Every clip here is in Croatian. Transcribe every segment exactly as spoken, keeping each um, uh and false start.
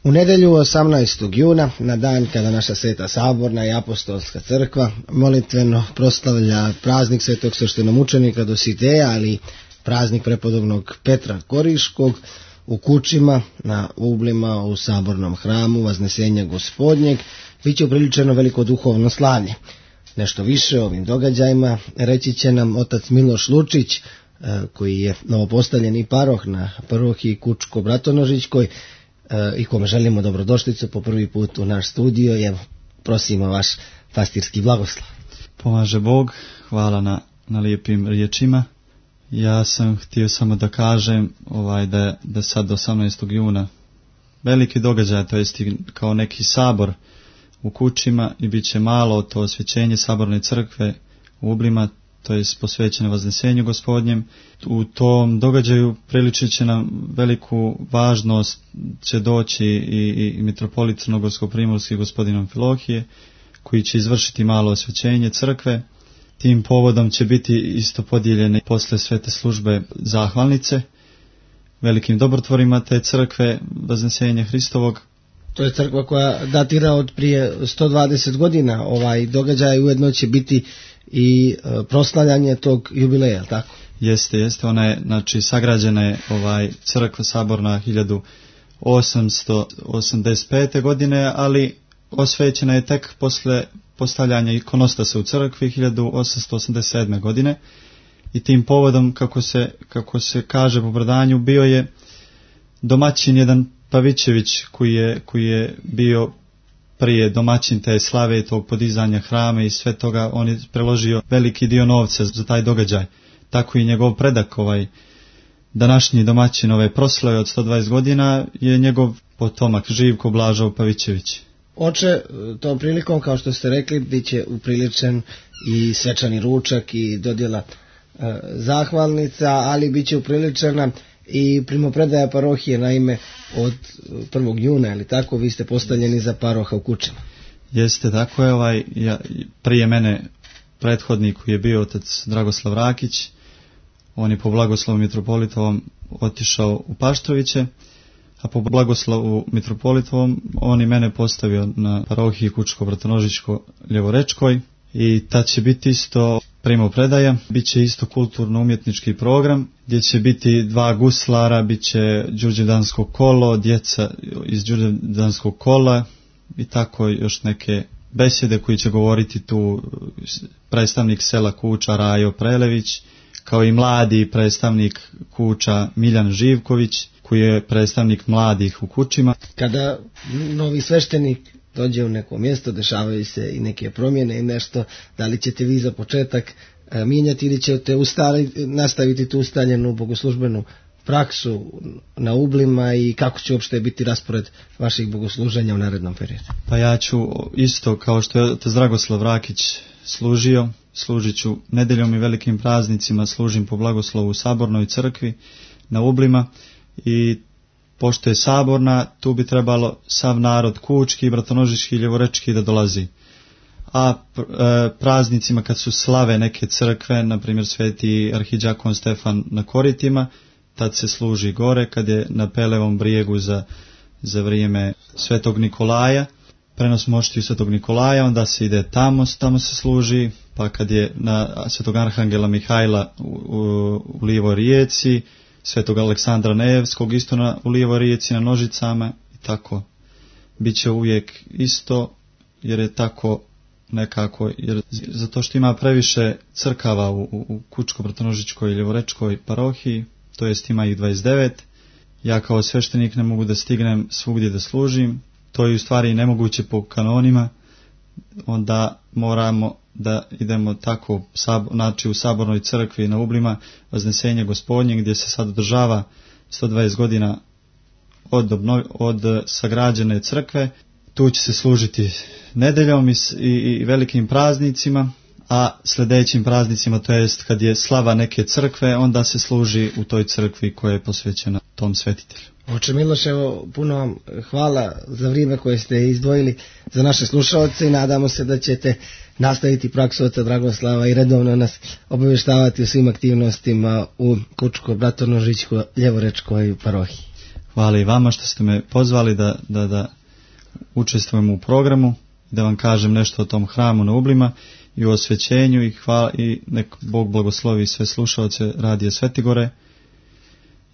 U nedjelju osamnaestog juna, na dan kada naša Sveta Saborna i Apostolska crkva molitveno proslavlja praznik svetog sveštenomučenika Dositeja, ali praznik prepodobnog Petra Koriškog, u Kučima, na Ublima, u Sabornom hramu Vaznesenja Gospodnjeg, bit će upriličeno veliko duhovno slavlje. Nešto više o ovim događajima reći će nam otac Miloš Lučić, koji je novopostavljeni paroh na parohiji Kučko-Bratonožićkoj i kome želimo dobrodošlicu po prvi put u naš studio. I evo, prosimo vaš pastirski blagoslov. Pomaže Bog, hvala na, na lijepim riječima. Ja sam htio samo da kažem ovaj, da, da sad osamnaestog juna veliki događaj, to jest kao neki sabor u Kučima, i bit će malo to osvjećenje Saborne crkve u Ublima, to je posvećeno Vaznesenju Gospodnjem. U tom događaju priličit će nam veliku važnost, će doći i, i mitropolit Crnogorsko-primorski gospodin Amfilohije, koji će izvršiti malo osvećenje crkve. Tim povodom će biti isto podijeljene posle svete službe zahvalnice velikim dobrotvorima te crkve Vaznesenja Hristovog. To je crkva koja datira od prije sto dvadeset godina. Ovaj događaj ujedno će biti i proslavljanje tog jubileja, je li tako? Jeste, jeste. Ona je, znači, sagrađena je ovaj crkva saborna hiljadu osamsto osamdeset pete. godine, ali osvećena je tek posle postavljanja ikonostasa u crkvi hiljadu osamsto osamdeset sedme. godine. I tim povodom, kako se, kako se kaže po predanju, bio je domaćin jedan Pavićević, koji je, koji je bio prije domaćin te slave i tog podizanja hrama i sve toga. On je preložio veliki dio novca za taj događaj. Tako i njegov predak, ovaj današnji domaćin ove proslave od sto dvadeset godina, je njegov potomak Živko Blažov Pavićević. Oče, tom prilikom, kao što ste rekli, bit će upriličen i svečani ručak i dodjela e, zahvalnica, ali bit će upriličena i primopredaja parohije, naime od prvog juna, ali tako, vi ste postavljeni za paroha u Kučima. Jeste, tako je. Ovaj, ja, prije mene prethodnik koji je bio otac Dragoslav Rakić, on je po blagoslovu mitropolitovom otišao u Paštroviće, a po blagoslovu mitropolitovom on i mene postavio na parohiji Kučko-Bratonožićko-Ljevorečkoj, i tad će biti isto primopredaja, bit će isto kulturno-umjetnički program, gdje će biti dva guslara, bit će đurđevdansko kolo, djeca iz đurđevdanskog kola i tako još neke besjede koji će govoriti tu predstavnik sela Kuča Rajo Prelević, kao i mladi predstavnik Kuča Miljan Živković, koji je predstavnik mladih u Kučima. Kada novi sveštenik dođe u neko mjesto, dešavaju se i neke promjene i nešto, da li ćete vi za početak e, mijenjati ili ćete ustali, nastaviti tu ustaljenu bogoslužbenu praksu na Ublima, i kako će uopšte biti raspored vaših bogosluženja u narednom periodu? Pa ja ću isto kao što je otac Dragoslav Rakić služio, služit ću nedeljom i velikim praznicima, služim po blagoslovu u Sabornoj crkvi na Ublima, i pošto je saborna, tu bi trebalo sav narod kučki, bratonožički i ljevorečki da dolazi. A e, praznicima kad su slave neke crkve, na primjer sveti arhidžakon Stefan na Koritima, tad se služi gore. Kad je na Pelevom brijegu za, za vrijeme svetog Nikolaja, prenos moštiju svetog Nikolaja, onda se ide tamo, tamo se služi. Pa kad je na svetog Arhangela Mihajla u, u, u Lijevoj rijeci, svetog Aleksandra Nevskog isto na, u Lijevoj rijeci na Nožicama, i tako. Biće uvijek isto, jer je tako nekako, jer zato što ima previše crkava u, u, u Kučko-Bratonožićkoj i Ljevorečkoj parohiji, to jest ima ih dvadeset devet. Ja kao sveštenik ne mogu da stignem svugdje da služim, to je u stvari nemoguće po kanonima, onda moramo da idemo tako, znači u Sabornoj crkvi na Ublima Vaznesenje Gospodnje, gdje se sad održava sto dvadeset godina od, obnov, od sagrađene crkve. Tu će se služiti nedeljom i, i, i velikim praznicima, a sljedećim praznicima, to jest kad je slava neke crkve, onda se služi u toj crkvi koja je posvećena tom svetitelju. Oče Miloš, evo, puno vam hvala za vrijeme koje ste izdvojili za naše slušalce, i nadamo se da ćete nastaviti praksu oca Dragoslava i redovno nas obavještavati o svim aktivnostima u Kučko-Bratonožićko-Ljevorečkoj parohiji. Hvala i vama što ste me pozvali da, da, da učestvujem u programu, da vam kažem nešto o tom hramu na Ublima i o osvećenju i, hvala, i nek Bog blagoslovi sve slušaoce Radija Svetigore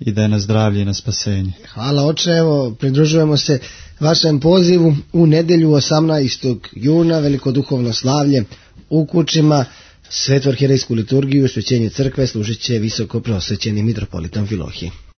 i da je na zdravlje i na spasenje. Hvala oče, evo pridružujemo se vašem pozivu u nedjelju osamnaestog juna, velikoduhovno slavlje u Kučima, svetu arhijerejsku liturgiju, osvećenje crkve služit će visoko preosvećeni mitropolitan Amfilohije.